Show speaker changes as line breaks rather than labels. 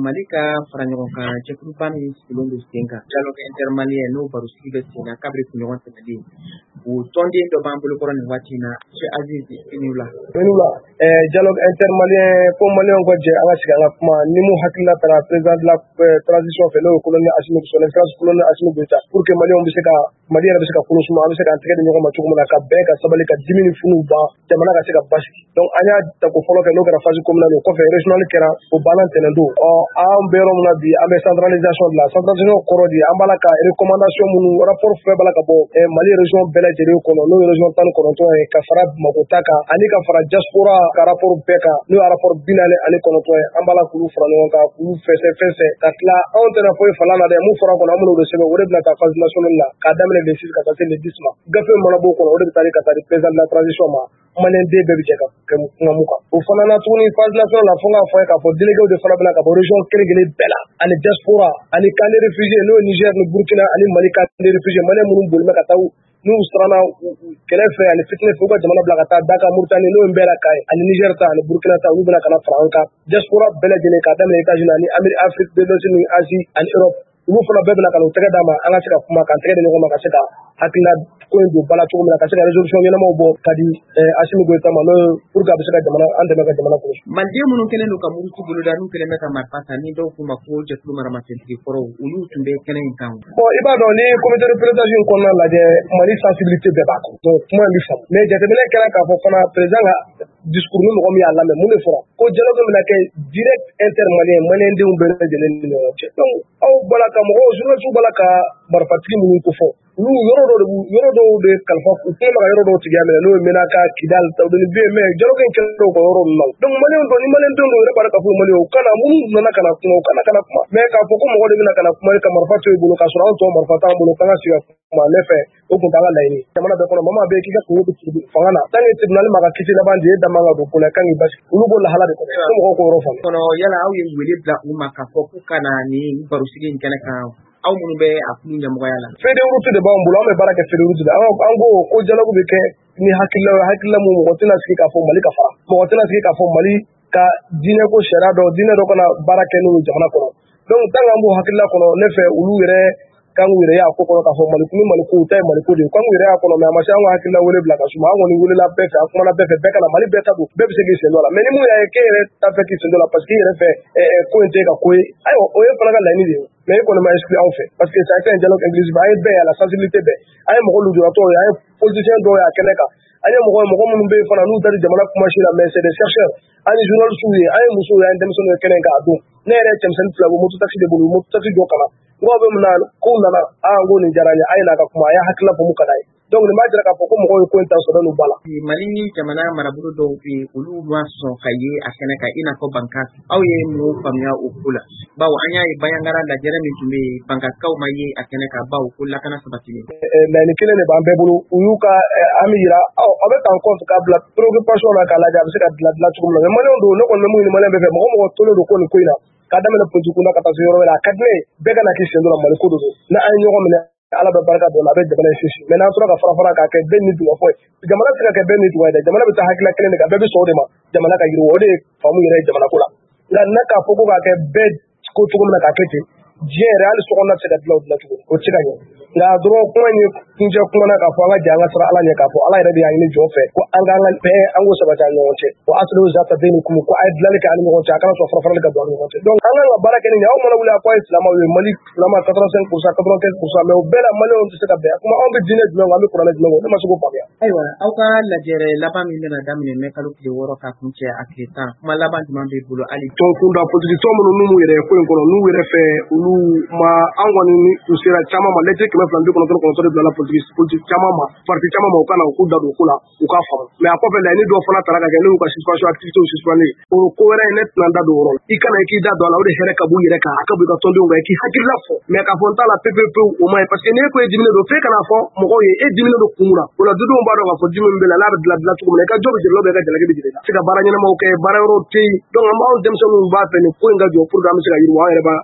Mali ka fara ɲɔgɔn kan jɛkuluba min sigilen don sen kan, dialogue intermalien, n'o barosigi bɛ sen na kabiri kunɲɔgɔn tɛmɛnen, o tɔnden dɔ b'an bolokɔrɔ nin waati in na. Monsieur Aziz, i ni wula.
I ni wula. Dialogue intermalien, ko maliyɛnw ka jɛ an ka sigi an ka kuma ni mun hakilina taara président de la transition fɛ, n'o ye colonel Assimi, son excellence colonel Assimi Goïta, pour que maliyɛnw bɛ se ka, Mali yɛrɛ bɛ se ka kolo suma, an bɛ se k'an tɛgɛ di ɲɔgɔn ma cogo min na ka bɛn, ka sabali, ka dimi ni funu ban, jamana ka se ka basigi. Donc an y'a tako fɔlɔ kɛ, n'o kɛra phase communale. O kɔfɛ, régional kɛra, o banna ntɛnɛn don. Ɔ an bɛ yɔrɔ min na bi, an bɛ centralisation de la. Centralisation kɔrɔ di, an b'a la ka recommandation minnu, rapport fɛn b'a la ka bɔ Mali région bɛɛ lajɛlen kɔnɔ, n'o ye région 19 ye, ka fara Bamakɔ ta kan ani ka fara diaspora ka rapport bɛɛ kan, n'o ye rapport 49 ye. An b'a la k'olu fara ɲɔgɔn kan, k'olu fɛsɛ fɛsɛ ka tila. Anw tɛna foyi fala la dɛ. Mun fɔra kɔnɔ, an bɛn'o de sɛbɛn. O de bɛna taa phase nationale la, k'a daminɛ le 6 ka taa se le 10 ma. Gafe mana b'o kɔnɔ, o de bɛ taa ka taa di président de la transition ma. Maliyɛn den bɛɛ bɛ jɛ ka kɛ kuma mun kan, o fana na tuguni, phase nationale la, fo n k'a fɔ ye k'a fɔ délégué de fana bɛna ka bɔ région kelen kelen bɛɛ la, ani diaspora, ani camp de réfugiés, n'o ye Niger ni Burkina ani Mali camp de réfugiés. Maliyɛn minnu boli bɛ ka taa, n'u siranna kɛlɛ fɛ ani fitinɛ fɛ, u ka jamana bila ka taa Daka, Mauritanie, n'o ye bɛɛ la ka ye, ani Niger ta ani Burkina ta, olu bɛna ka na fara an kan. Diaspora bɛɛ lajɛlen, k'a daminɛ États-Unis ani Amérique, Afrique de l'Ouest ni Asie ani Europe, olu fana bɛɛ bɛna ka n'u tɛgɛ d'a ma, an ka se ka kuma, k'an tɛgɛ di ɲɔgɔn ma, ka se ka hakilina ko in don ba la cogo min na, ka se ka résolution ɲɛnamaw bɔ ka di Assimi Goïta ma, n'o ye pour que a bɛ se ka jamana an dɛmɛ ka jamana kɔlɔsi.
Maliden minnu kɛlen don ka muruti boloda, n'u kɛlen bɛ ka marifa ta, ni dɔw k'u ma ko jɛkulu maramasentigi kɔrɔw, olu tun bɛ kɛnɛ in kan.
Bon, i b'a dɔn, ni comité de pilotage in kɔnɔna lajɛ, Mali sensibilité bɛɛ b'a kɔnɔ. Donc kuma in bɛ faamu, mais jateminɛ kɛra k'a fɔ fana, président ka discours, ni mɔgɔ min y'a lamɛn, mun de fɔra? Ko dialogue bɛna kɛ direct intermalien, maliyɛndenw bɛɛ lajɛlen ni ɲɔgɔn cɛ. Donc aw bɔra ka mɔgɔw, journalistes b'a la ka marifatigi minnu ko fɔ, olu yɔrɔ dɔw de, yɔrɔ dɔw de kalifa u kɛlen bɛ ka yɔrɔ dɔw tigiya minɛ, n'o ye Menaka, Kidal, Tawudeni bɛ yen, mais dialogue in kɛlen o ka yɔrɔ ninnu na. Donc maliyɛnw dɔn ni maliyɛndenw dɔw yɛrɛ b'a dɔn k'a fɔ maliyɛnw u kana minnu nana ka na kuma, u kana ka na kuma. Mais k'a fɔ ko mɔgɔ de bɛna ka na kuma ka marifa to i bolo, k'a sɔrɔ anw tɔ marifa t'an bolo, k'an ka sigi ka kuma, ne fɛ o tun t'an ka laɲini. Jamana bɛɛ kɔnɔ, mama bɛ k'i ka kungo bɛ fanga na, tant que tribunal ma ka kiti laban di, e da man ka don ko la, kan k'i basigi. Olu b'o lahala de kɔnɔ, fo mɔgɔw k'o yɔrɔ faamu.
Kɔnɔ yala aw ye wele bila u ma k'a fɔ k'u ka na ni barosigi in kɛnɛ kan, aw minnu bɛ a kulu ɲɛmɔgɔya la?
Feuille de route de b'an bolo, an bɛ baara kɛ feuille de route de. An ko ko dialogue bɛ kɛ ni hakilila ye, hakilila mun mɔgɔ tɛna sigi k'a fɔ Mali ka fara, mɔgɔ tɛna sigi k'a fɔ Mali ka diinɛ ko sariya dɔ, diinɛ dɔ kana baara kɛ n'o ye jamana kɔnɔ. Donc tant que an b'o hakilila kɔnɔ, ne fɛ olu yɛrɛ kan k'u yɛrɛ y'a ko kɔnɔ k'a fɔ Mali ni Mali ko ta ye Mali ko de ye, kan k'u yɛrɛ y'a kɔnɔ. Mais a ma se an ka hakilila wele bila ka suma. An kɔni welela bɛɛ fɛ, an kumana bɛɛ fɛ, bɛɛ ka na, Mali bɛɛ ta don, bɛɛ bɛ se k'i sen don a la. Mais ni mun y'a ye k'e yɛrɛ ta fɛ k'i sen don a la, parce que i yɛrɛ fɛ ko in tɛ ka ko ye, ayiwa, o ye fana ka laɲini de ye. Mais e kɔni ma exclu anw fɛ, parce que ça a été un dialogue inclusif. An ye bɛɛ ye, a la sensibilité bɛɛ, an ye mɔgɔ lujuratɔw ye, an ye politicien dɔw ye a kɛnɛ kan, an ye mɔgɔ mɔgɔ minnu bɛ yen fana n'u tɛ jamana kuma si la, mais c'est des chercheurs, an ye journalistes ye, an ye musow ye, an ye denmisɛnninw ye kɛnɛ kan a don. Ne yɛrɛ ye cɛmisɛnnin fila bɔ moto taxi de bolo, moto taxi dɔ kalan n ko bɛ mun na, kow nana, aa, n ko nin diyara n ye, a ye n'a ka kuma, a y'a hakilila fɔ mun ka d'a ye. Donc nin b'a jira k'a fɔ ko mɔgɔw ye ko in ta sɔrɔ n'u ba la.
Mali jamana marabolo dɔw bɛ yen, olu ma sɔn ka ye a kɛnɛ kan, i n'a fɔ Bankas. Aw ye mun faamuya o ko la? Bawo an y'a ye Bandiagara lajɛrɛ min tun bɛ yen, Bankasikaw ma ye a kɛnɛ kan, bawo ko lakana sabatilen.
Laɲini kelen de b'an bɛɛ bolo, u y'u ka an bɛ yira aw bɛ ta en compte k'a bila préoccupation na, k'a lajɛ a bɛ se ka dilan dilan cogo min na. Mais maliyɛnw don, ne kɔni bɛ mun ɲini maliyɛn bɛɛ fɛ, mɔgɔ mɔgɔ tolen don ko nin ko in na, k'a daminɛ politique kunda ka taa se yɔrɔ wɛrɛ, a ka di ne ye bɛɛ ka na k'i sen don la. Mali ko de don. N'an ye ɲɔgɔn minɛ, Ala bɛ barika don a la, a bɛ jamana in sinsin. Mais n'an tora ka fara fara k'a kɛ bɛɛ ni dugwa fɔ ye, jamana tɛ se ka kɛ bɛɛ ni dugwa ye dɛ. Jamana bɛ taa hakilila kelen de kan, bɛɛ bɛ sɔn o de ma, jamana ka yiriwa, o de ye faamu yɛrɛ ye jamana ko la. Nka n'a k'a fɔ ko k'a kɛ bɛɛ ko cogo min na k'a kɛ ten, diɲɛ yɛrɛ, hali sokɔnɔna tɛ se ka dilan o dilan cogo, o tɛ se ka ɲɛ. Nka dɔrɔn kuma in ye kuncɛ kuma na k'a fɔ an ka jɛ an ka siran Ala ɲɛ, k'a fɔ Ala yɛrɛ de y'a ɲini jɔn fɛ ko an k'an ka bɛn, an k'o sabati an ɲɔgɔn cɛ, ko aslihu zata baynikum, ko a ye dilanli kɛ an ni ɲɔgɔn cɛ, a kana sɔn fara farali ka don an ni ɲɔgɔn cɛ. Donc an kan ka baara kɛ ni nin ye. Aw mana wuli a ko a ye silamɛw ye, Mali silama 85%, 95%, mais o bɛɛ la maliyɛnw tɛ se ka bɛn. Kuma anw bɛ diinɛ jumɛn kɔ, an bɛ kuranɛ jumɛn kɔ, ne ma se k'o faamuya.
Ayiwa, aw ka lajɛrɛ laban min bɛna daminɛ mɛ kalo tile 6 ka kun cɛ a tile 10, kuma laban jumɛn b'i bolo hali?
Tɔn kunda, politiki tɔn minnu n'u yɛrɛ ko in kɔnɔ, n'u yɛrɛ fɛ olu ma, an kɔni ni u sera caman ma, lɛtiri 299 de bilala politique caman ma, parti caman ma, u kana u k'u da don ko la, u k'a faamu. Mais a kɔfɛ, laɲini dɔw fana tara ka kɛ, n'u y'u ka suspension, activité suspendre, o ko wɛrɛ ye, ne tɛna n da don o yɔrɔ la. I kana i k'i da don a la, o de hɛrɛ ka b'u yɛrɛ kan, a ka bɔ i ka tɔndenw kan, i k'i hakilila fɔ. Mais k'a fɔ n t'a la pewu pewu, o ma ɲi, parce que n'e ko e diminen don, f'e kana fɔ mɔgɔw ye e diminen don kun mun na. O la dudenw b'a dɔn k'a fɔ dimi min bɛ la, n'a bɛ dilan dilan cogo min na, i ka jɔ bɛ jeli la, i ka jalaki bɛ jeli la, se ka baara ɲɛnamaw kɛ, baara yɔrɔw tɛ yen. Donc an b'anw denmisɛnninw b'a fɛ nin ko in ka jɔ pour que an bɛ se ka yiriwa an yɛrɛ b'a.